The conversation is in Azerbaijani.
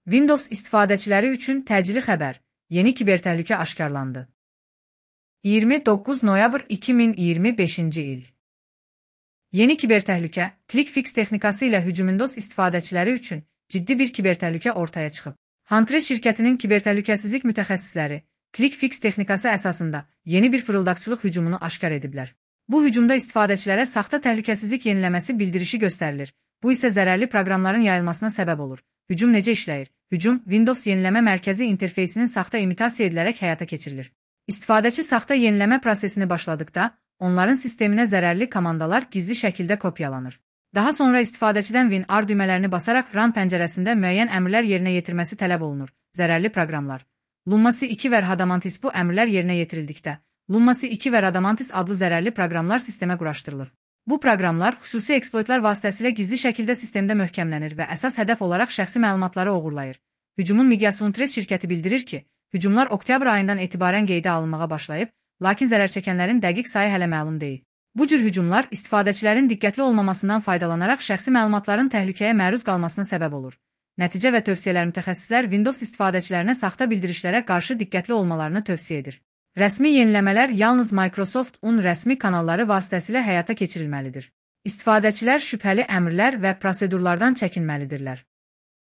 Windows istifadəçiləri üçün təcili xəbər, yeni kibertəhlükə aşkarlandı. 29 noyabr 2025-ci il. Yeni kibertəhlükə, ClickFix texnikası ilə hücum-Windows istifadəçiləri üçün ciddi bir kibertəhlükə ortaya çıxıb. Huntress şirkətinin kibertəhlükəsizlik mütəxəssisləri ClickFix texnikası əsasında yeni bir fırıldaqçılıq hücumunu aşkar ediblər. Bu hücumda istifadəçilərə saxta təhlükəsizlik yeniləməsi bildirişi göstərilir. Bu isə zərərli proqramların yayılmasına səbəb olur. Hücum necə işləyir? Hücum, Windows yeniləmə mərkəzi interfeysinin saxta imitasiya edilərək həyata keçirilir. İstifadəçi saxta yeniləmə prosesini başladıqda, onların sisteminə zərərli komandalar gizli şəkildə kopyalanır. Daha sonra istifadəçidən WinR düymələrini basaraq Run pəncərəsində müəyyən əmrlər yerinə yetirməsi tələb olunur. Zərərli proqramlar. Lumasi 2 və Rhadamantis bu əmrlər yerinə yetirildikdə, Lumasi 2 və Rhadamantis adlı zərərli proqramlar sistemə quraşdırılır. Bu proqramlar xüsusi eksploitlar vasitəsilə gizli şəkildə sistemdə möhkəmlənir və əsas hədəf olaraq şəxsi məlumatları oğurlayır. Hücumun miqyası Huntress şirkəti bildirir ki, hücumlar oktyabr ayından etibarən qeydə alınmağa başlayıb, lakin zərər çəkənlərin dəqiq sayı hələ məlum deyil. Bu cür hücumlar istifadəçilərin diqqətli olmamasından faydalanaraq şəxsi məlumatların təhlükəyə məruz qalmasına səbəb olur. Nəticə və tövsiyələr mütəxəssislər Windows istifadəçilərinə saxta bildirişlərə qarşı diqqətli olmalarını tövsiyə edir. Rəsmi yeniləmələr yalnız Microsoft-un rəsmi kanalları vasitəsilə həyata keçirilməlidir. İstifadəçilər şübhəli əmrlər və prosedurlardan çəkinməlidirlər.